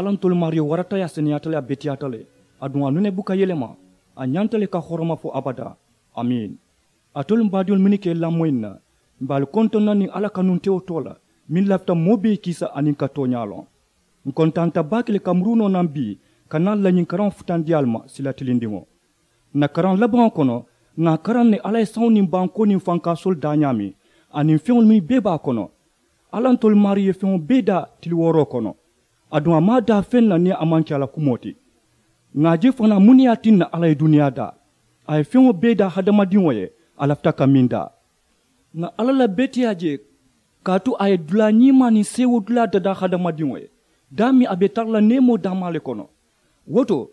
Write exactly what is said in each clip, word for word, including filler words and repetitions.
Alla ntolu maariyo warata ye a seneyaata le a beteyaata le. Aduŋ a nune buka yelema. A ñanta le ka horoma fo abadaa. Amiin. Alitolu m baadiŋolu mennu ka i lamoyi n na, m be ali kontoŋ na niŋ alla kanuntewo too la, meŋ lafita moo bee kiisa aniŋ ka tooñaa loŋ. N kontaanta baake le ka muruu noo naŋ bii ka naa ali la ñiŋ karaŋo futandi ali ma sila tilindiŋo. N na karaŋ labaŋo kono, ŋà a karaŋ ne alla ye saŋo niŋ bankoo niŋ fankaasoolu daa ñaameŋ, aniŋ feŋolu mennu bee be a kono. Alla ntolu maarii ye feŋo bee daa tili wooroo kono. Aduŋ a maŋ a daa feŋ na niŋ a maŋ ke a la kumoo ti. Ŋà a je fanaa muŋ ne ye a tinna alla ye duniyaa daa? A ye feŋo bee daa hadamadiŋo ye, a lafita ka meŋ daa. Ŋà alla la beteyaa je, kaatu a ye dulaa ñiimaa niŋ seewoo dulaa dadaa hadamadiŋo ye, daameŋ a be tara la neemoo daamaa le kono. Wo to,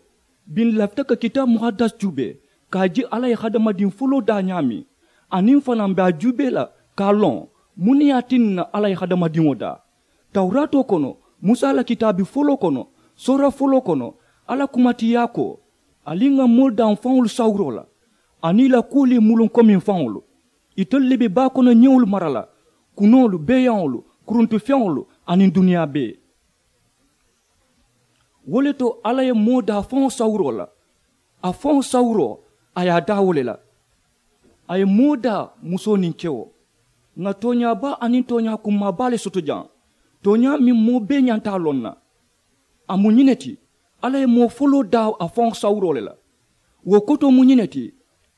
biŋ n lafita ka kitaabu muhadasi juubee, ka a je alla ye hadamadiŋ foloo daa ñaameŋ, aniŋ fanaa m be a juubee la ka a loŋ muŋ ne ye a tinna alla ye hadamadiŋo daa. Tawuraatoo kono, musa la kitaabi foloo kono, soora foloo kono, alla kuma ti yaa ko, ali ŋà moolu daa m faŋolu sawuroo la, aniŋ i la kuwolu ye muluŋ komi m faŋolu. Itelu le be baa kono ñewolu mara la, kunoolu, beeyaŋolu, kuruntufeŋolu, aniŋ duniyaa bee. Wo le to alla ye moo daa faŋo sawuroo la. A faŋo sawuroo, a ye a daa wo le la. A ye moo daa, musoo niŋ kewo. Ŋà tooñaa baa aniŋ tooñaa kummaa baa le soto jaŋ, tooñaa meŋ moo bee ñanta a loŋ na. A mu ñiŋ ne ti, alla ye moo foloo daa a faŋo sawuroo le la. Wo kotoo mu ñiŋ ne ti,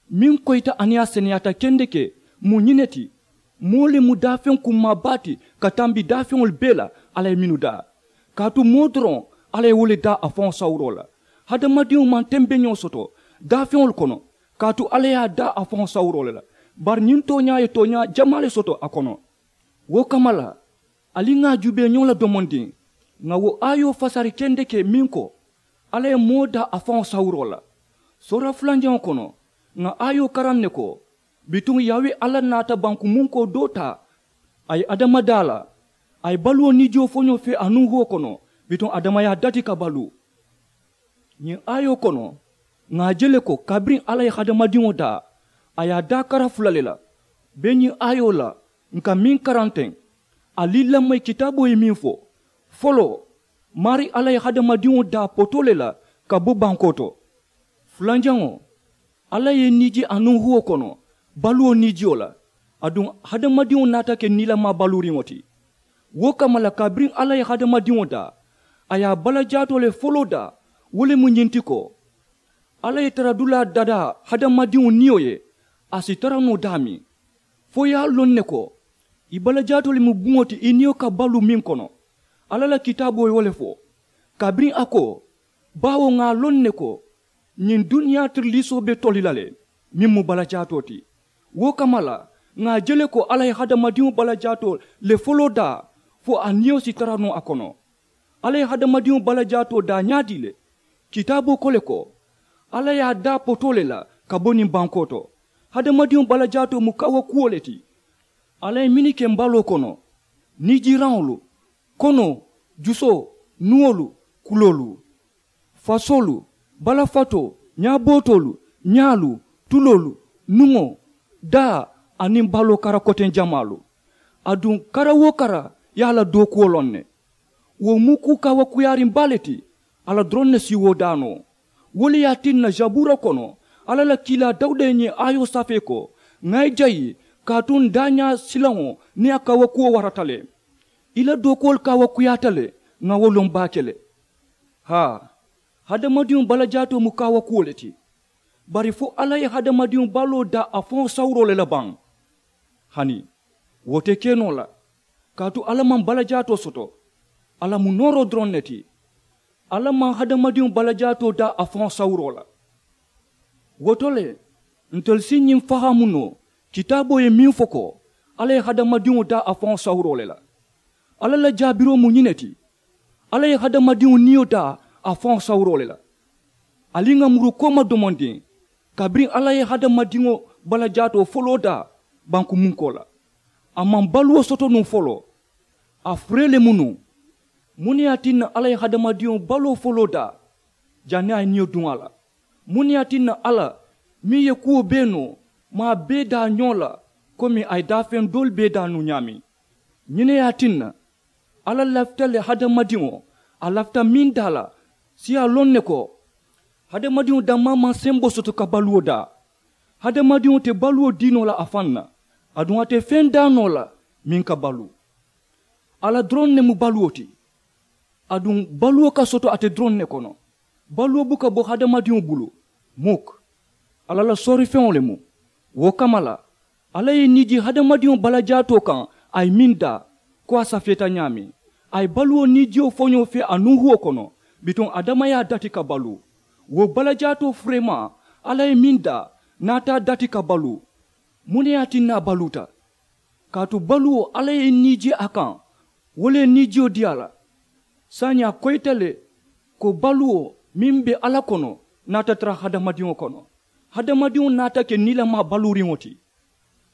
meŋ koyita aniŋ a seneyaata kendeke, mu ñiŋ ne ti, moo le mu daafeŋ kummaa baa ti ka tambi daafeŋolu bee la. Alla ye mennu daa, kaatu moo doroŋ, alla ye wo le daa a faŋo sawuroo la. Hadamadiŋo maŋ tembeñoo soto daafeŋolu kono, kaatu alla ye a daa a faŋo sawuroo le la. Bari ñiŋ tooñaa ye tooñaa jamaa le soto a kono. Wo kamma la, ali ŋà a juubee ñoo la domondiŋ, ŋà wo aayoo fasari kendeke meŋ ko, alla ye moo daa a faŋo sawuroo la. Soora fulanjaŋo kono, ŋà aayoo karaŋ ne ko, bituŋ yaawe alla naata bankumunkoo doo taa, a ye adama daa la, a ye baluwo niijoo foñoo fee a nuŋ huwo kono, bituŋ adama ye a dati ka baluu. Ñiŋ aayoo kono, ŋà a je le ko kabiriŋ alla ye hadamadiŋo daa, a ye a daa kara fula le la. Be ñiŋ aayoo la, n ka meŋ karaŋ teŋ, ali lamoyi kitaaboo ye meŋ fo. Foloo, maarii alla ye hadamadiŋo daa potoo le la ka bo bankoo to. Fulanjaŋo, alla ye niiji a nuŋ huwo kono, baluwo niijiyo la. Aduŋ hadamadiŋo naata ke niilamaa baluuriŋo ti. Wo kamma la kabiriŋ alla ye hadamadiŋo daa, a ye a balajaatoo le foloo daa. Wo le mu ñiŋ ti ko, alla ye taradulaa dadaa hadamadiŋo niyo ye, a si tara noo daameŋ. Fo i ye a loŋ ne ko, i balajaatoo le mu buŋo ti i niyo ka baluu meŋ kono. Alla la kitaaboo ye wo le fo. Kabiriŋ a ko, baawo ŋà a loŋ ne ko, ñiŋ duniyaa tiriliisoo be toli la le, meŋ mu balajaatoo ti. Wo kamma la, ŋà a je le ko alla ye hadamadiŋo balajaatoo le foloo daa, fo a niyo si tara noo a kono. Alla ye hadamadiŋo balajaatoo daa ñaadii le? Kitaaboo ko le ko, alla ye a daa potoo le la ka bo niŋ bankoo to. Hadamadiŋo balajaatoo mu kaawakuwo le ti. Alla ye mennu ke mbaloo kono, niijiiraŋolu, konoo, jusoo, nuwolu, kuloolu, fasoolu, balafatoo, ñaabootoolu, ñaalu, tuloolu, nuŋo, daa, aniŋ baloo kara koteŋ jamaalu. Aduŋ kara-wo-kara ye a la dookuwo loŋ ne. Wo mu kuu kaawakuyaariŋ baa le ti. Alla doroŋ ne si wo daa noo. Wo le ye a tinna sabuura kono, alla la kiilaa dawuda ye ñiŋ aayoo safee ko, ŋà i jayi, kaatu n daañaa silaŋo niŋ a kaawakuwo warata le. I la dookuwolu kaawakuyaata le. Ŋà wo loŋ baake le. Haa, hadamadiŋo balajaatoo mu kaawakuwo le ti. Bari fo alla ye hadamadiŋo baloo daa a faŋo sawuroo le la baŋ? Hani, wo te ke noo la. Kaatu alla maŋ balajaatoo soto. Alla mu nooroo doroŋ ne ti. Alla maŋ hadamadiŋo balajaatoo daa a faŋo sawuroo la. Wo to le, ntelu si ñiŋ fahaamu noo, kitaaboo ye meŋ fo ko, alla ye hadamadiŋo daa a faŋo sawuroo le la. Alla la jaabiroo mu ñiŋ ne ti. Alla ye hadamadiŋo niyo daa a faŋo sawuroo le la. Ali ŋà muru kooma domondiŋ, kabiriŋ alla ye hadamadiŋo balajaatoo foloo daa bankumunkoo la, a maŋ baluwo soto nuŋ foloo. A furee le mu nuŋ. Muŋ ne ye a tinna alla ye hadamadiŋo baloo foloo daa? Janniŋ a ye niyo duŋ a la, muŋ ne ye a tinna alla, meŋ ye kuwo bee noo, maŋ a bee daa ñoo la, komi a ye daafeŋ doolu bee daa nuŋ ñaameŋ? Ñiŋ ne ye a tinna, alla lafita le hadamadiŋo A lafita meŋ daa la si a loŋ ne ko hadamadiŋo dammaa maŋ sembo soto ka baluwo daa. Hadamadiŋo te baluwo dii noo la a faŋ na. Aduŋ a te feŋ daa noo la meŋ ka baluu. Alla doroŋ ne mu baluwo ti. Aduŋ baluwo ka soto ate doroŋ ne kono. Baluwo buka bo hadamadiŋo bulu. Muk. Alla la soorifeŋo le mu. Wo kamma la alla ye niijii hadamadiŋo balajaatoo kaŋ. A ye meŋ daa ko a safeeta ñaameŋ. A ye baluwo niijiyo foñoo fee a nuuhuwo kono. Bituŋ adama ye a dati ka baluu. Wo balajaatoo fureemaa alla ye meŋ daa naata a dati ka baluu. Muŋ ne ye a tinna a baluuta? Kaatu baluwo alla ye niijee a kaŋ. Wo le ye niijiyo dii a la. Saayiŋ a koyita le ko baluwo meŋ be alla kono naata tara hadamadiŋo kono. Hadamadiŋo naata ke niilamaa baluuriŋo ti.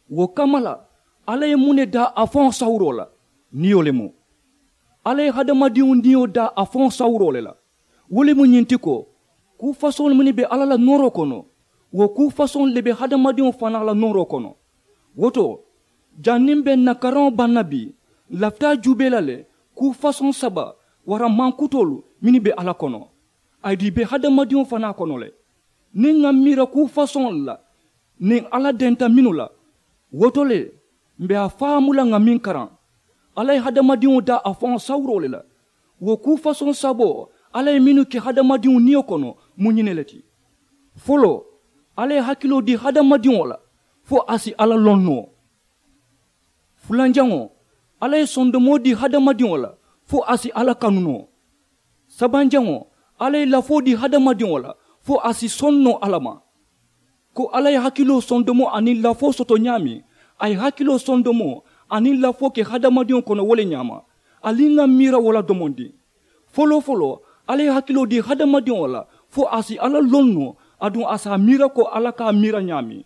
Wo kamma la alla ye muŋ ne daa a faŋo sawuroo la? Niyo le mu. Alla ye hadamadiŋo niyo daa a faŋo sawuroo le la. Wo le mu ñiŋ ti ko kuu fasoŋolu mennu be alla la nooroo kono wo kuu fasoŋolu le be hadamadiŋo fanaa la nooroo kono. Wo to janniŋ be n na karaŋo baŋ na bii n lafita a juubee la le kuu fasoŋ saba waraŋ mankutoolu mennu be alla kono. Aduŋ i be hadamadiŋo fanaa kono le. Niŋ ŋa miira kuu fasoŋolu la niŋ alla denta mennu la wo to le m̀ be a faamu la ŋa meŋ karaŋ. Alla ye hadamadiŋo daa a faŋo sawuroo le la. Wo kuu fasoŋ saboo alla ye mennu ke hadamadiŋo niyo kono mu ñiŋ ne le ti. Foloo alla ye hakiloo dii hadamadiŋo la fo a si alla loŋ noo. Fulanjaŋo alla ye sondomoo dii hadamadiŋo la fo a si alla kanu noo. Sabanjaŋo alla ye lafoo dii hadamadiŋo la fo a si soŋ noo alla ma. Ko alla ye hakiloo sondomoo aniŋ lafoo soto ñaameŋ a ye hakiloo sondomoo aniŋ lafoo ke hadamadiŋo kono wo le ñaama. Ali ŋa miira wo la domondiŋ. Foloo foloo alla ye hakiloo dii hadamadiŋo la fo a si alla loŋ noo aduŋ a si a miira ko alla ka a miira ñaameŋ.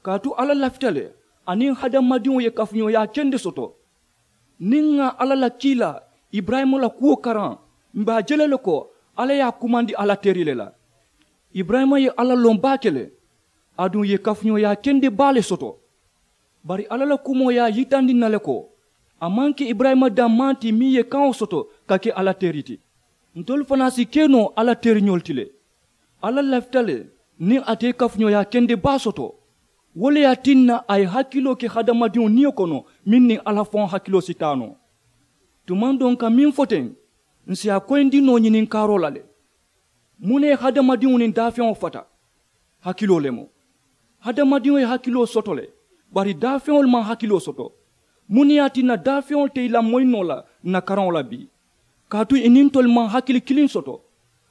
Kaatu alla lafita le aniŋ hadamadiŋo ye kafuñooyaa kende soto. Niŋ ŋa alla la kiilaa iburayima la kuwo karaŋ m̀ be a je la le ko alla ye a kumandi alla teri le la. Iburayima ye alla loŋ baake le. Aduŋ ì ye kafuñooyaa kende baa le soto. Bari alla la kumoo ye a yitandi ǹ na le ko a maŋ ke iburayima dammaa ti meŋ ye kaŋo soto ka ke alla teri ti. Ntolu fanaa si ke noo alla teriñolu ti le. Alla lafita le niŋ ate ye kafuñooyaa kende baa soto. Wo le ye a tinna a ye hakiloo ke hadamadiŋo niyo kono meŋ niŋ alla faŋo hakiloo si taa noo. Tumaŋ doo n ka meŋ fo teŋ ǹ si a koyindi noo ñininkaaroo la le. Muŋ ne ye hadamadiŋo niŋ daafeŋo fata? Hakiloo le mu. Hadamadiŋo ye hakiloo soto le bari daafeŋolu maŋ hakiloo soto. Muŋ ne ye a tinna daafeŋolu te i lamoyi noo la ǹ na karaŋo la bii? Kaatu i niŋ ntolu maŋ hakili kiliŋ soto.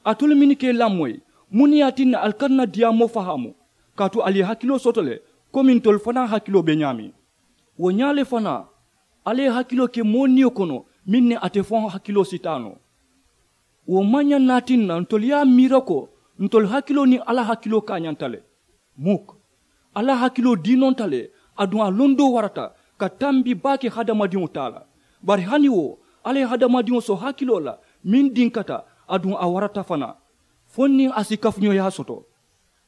Alitolu mennu ka i lamoyi muŋ ne ye a tinna ali ka ǹ na diyaamoo fahaamu? Kaatu ali ye hakiloo soto le komi ntolu fanaa hakiloo be ñaameŋ. Wo ñaa le fanaa alla ye hakiloo ke moo niyo kono meŋ ne ate faŋo hakiloo si taa noo. Wo maŋ ñaŋ na a tinna ntolu ye a miira ko ntolu hakiloo niŋ alla hakiloo kaañanta le. Muk. Alla hakiloo diinonta le aduŋ a londoo warata ka tambi baake hadamadiŋo taa la. Bari hani wo alla ye hadamadiŋo so hakiloo la meŋ dinkata aduŋ a warata fanaa fo niŋ a si kafuñooyaa soto.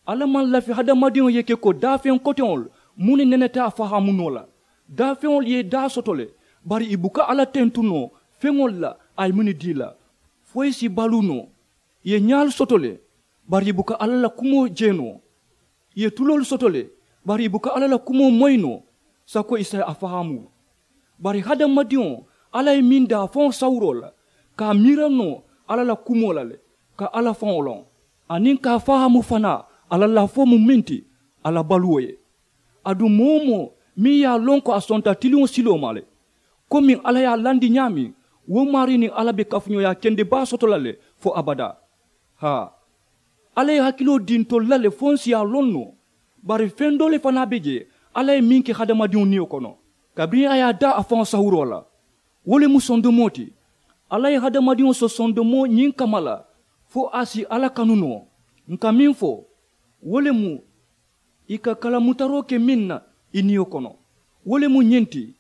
Alla maŋ lafi hadamadiŋo ye ke ko daafeŋ koteŋolu muŋ ne neneta a fahaamu noo la. Daafeŋolu ye i daa soto le bari i buka alla tentu noo feŋolu la a ye mennu dii la. Fo i si baluu noo. I ye ñaalu soto le bari i buka alla la kumoo je noo. I ye tuloolu soto le bari i buka alla la kumoo moyi noo sako i si a fahaamu. Bari hadamadiŋo alla ye meŋ daa faŋo sawuroo la ka a miira noo alla la kumoo la le ka alla faŋo loŋ aniŋ ka a fahaamu fanaa a la lafoo mu meŋ ti a la baluwo ye. Aduŋ moo-wo-moo meŋ ye a loŋ ko a sonta tiliŋo siloo ma le komiŋ alla ye a landi ñaameŋ wo maarii niŋ alla be kafuñooyaa kende baa soto la le fo abadaa. Haa, alla ye hakiloo dii ntolu la le fo ǹ si a loŋ noo. Bari feŋ doo le fanaa be jee alla ye meŋ ke hadamadiŋo niyo kono kabiriŋ a ye a daa a faŋo sawuroo la. Wo le mu sondomoo ti. Alla ye hadamadiŋo so sondomoo ñiŋ kamma la fo a si alla kanu noo. Ǹ ka meŋ fo wo le mu i ka kalamutaroo ke meŋ na i niyo kono. Wo le mu ñiŋ ti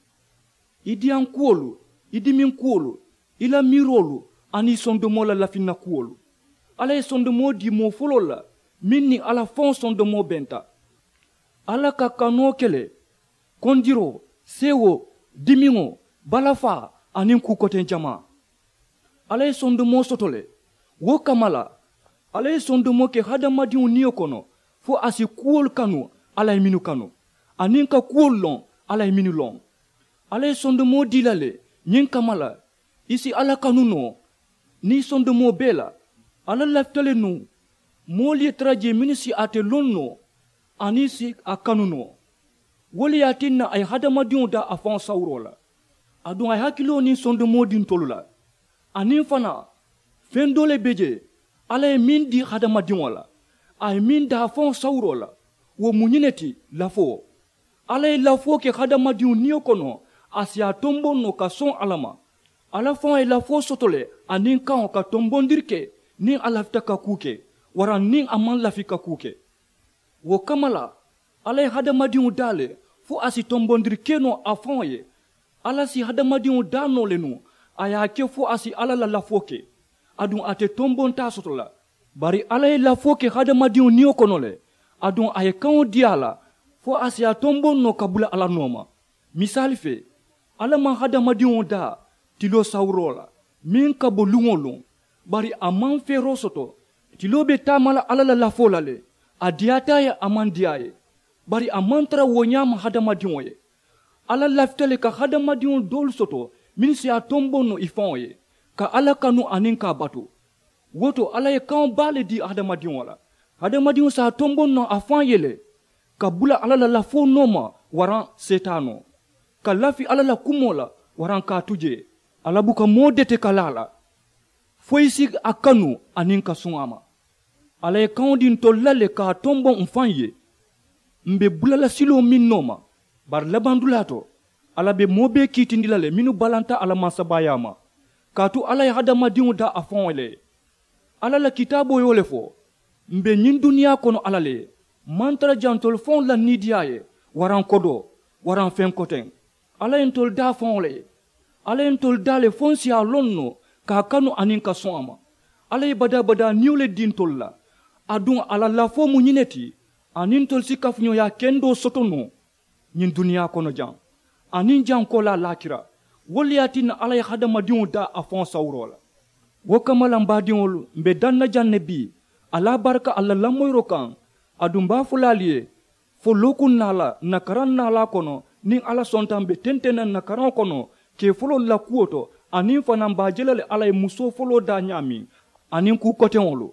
i diyaŋ kuwolu, i dimiŋ kuwolu, i la miiroolu aniŋ i sondomoo la lafinna kuwolu. Alla ye sondomoo dii moo foloolu la meŋ niŋ alla faŋo sondomoo benta. Alla ka kanoo ke le kondiroo, seewoo, dimiŋo, balafaa, aniŋ kuu koteŋ jamaa. Alla ye sondomoo soto le. Wo kamma la, alla ye sondomoo ke hadamadiŋo niyo kono fo a si kuwolu kanu alla ye mennu kanu, aniŋ ka kuwolu loŋ alla ye mennu loŋ. Alla ye sondomoo dii la le ñiŋ kamma la, i si alla kanu noo niŋ i sondomoo bee la. Alla lafita le nuŋ moolu ye tara jee mennu si ate loŋ noo aniŋ i si a kanu noo. Wo le ye a tinna a ye hadamadiŋo daa a faŋo sawuroo la. Aduŋ a ye hakiloo niŋ sondomoo dii ntolu la. Aniŋ fanaa, feŋ doo le be jee alla ye meŋ dii hadamadiŋo la, a ye meŋ daa a faŋo sawuroo la. Wo mu ñiŋ ne ti, lafoo. Alla ye lafoo ke hadamadiŋo niyo kono, a si a tomboŋ noo ka soŋ alla ma. Alla faŋo ye lafoo soto le aniŋ kaŋo ka tombondiri ke niŋ a lafita ka kuu ke, waraŋ niŋ a maŋ lafi ka kuu ke. Wo kamma la, alla ye hadamadiŋo daa le fo a si tombondiri ke noo a faŋo ye. Alla si hadamadiŋo daa noo le nuŋ, a ye a ke fo a si alla la lafoo ke. Aduŋ ate tombontaa soto la. Bari alla ye lafoo ke hadamadiŋo niyo kono le. Aduŋ a ye kaŋo dii a la fo a si a tomboŋ noo ka bula alla nooma. Misaali fee, alla maŋ hadamadiŋo daa tiloo sawuroo la meŋ ka bo luŋ-wo-luŋ. Bari a maŋ feeroo soto. Tiloo be taama la alla la lafoo la le. A diyaata a ye, a maŋ diyaa a ye. Bari a maŋ tara wo ñaama hadamadiŋo ye. Alla lafita le ka hadamadiŋolu doolu soto mennu si a tomboŋ noo i faŋo ye, ka alla kanu aniŋ ka a batu. Wo to alla ye kaŋo baa le dii hadamadiŋo la. Hadamadiŋo si a tomboŋ noo a faŋ ye le, ka bula alla la lafoo nooma waraŋ seetaanoo, ka lafi alla la kumoo la waraŋ ka a tu jee. Alla buka moo dete ka laa a la fo i si a kanu aniŋ ka suŋ a ma. Alla ye kaŋo dii ntolu la le ka a tomboŋ m̀ faŋ ye. M̀ be bula la siloo meŋ nooma, bari labandulaa to, alla be moo bee kiitindi la le mennu balanta a la mansabaayaa ma. Kaatu alla ye hadamadiŋo daa a faŋo le ye. Alla la kitaaboo ye wo le fo, m̀ be ñiŋ duniyaa kono alla le ye. M̀ maŋ tara jaŋ ntolu faŋolu la niidiyaa ye, waraŋ kodoo, waraŋ feŋ koteŋ. Alla ye ntolu daa faŋo le ye. Alla ye ntolu daa le fo n si a loŋ noo ka a kanu aniŋ ka soŋ a ma. Alla ye badaa-badaa niyo le dii ntolu la. Aduŋ a la lafoo mu ñiŋ ne ti, aniŋ ntolu si kafuñooyaa kendoo soto noo ñiŋ duniyaa kono jaŋ, aniŋ jaŋ koolaa laakira. Wo le ye a tinna alla ye hadamadiŋo daa a faŋo sawuroo la. Wo kamma la m baadiŋolu, m̀ be daŋ na jaŋ ne bii, ali a baraka ali la lamoyiroo kaŋ. Aduŋ m be a fo la ali ye, fo lookuŋ naalaa n na karaŋ naalaa kono, niŋ alla sonta m be tenteŋ na n na karaŋo kono, kee foloolu la kuwo to, aniŋ fanaa m be a je la le alla ye musoo foloo daa ñaameŋ, aniŋ kuu koteŋolu.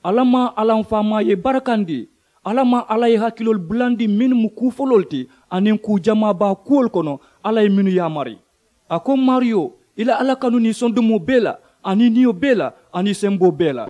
Alla maŋ alla m faamaa ye barakandi. Alla maŋ alla ye hakiloolu bulandi mennu mu kuu foloolu ti, aniŋ kuu jamaa baa kuwolu kono alla ye mennu yaamari. A ko, maariyo, i la alla kanu niŋ i sondomoo bee la, aniŋ i niyo bee la, aniŋ i semboo bee la.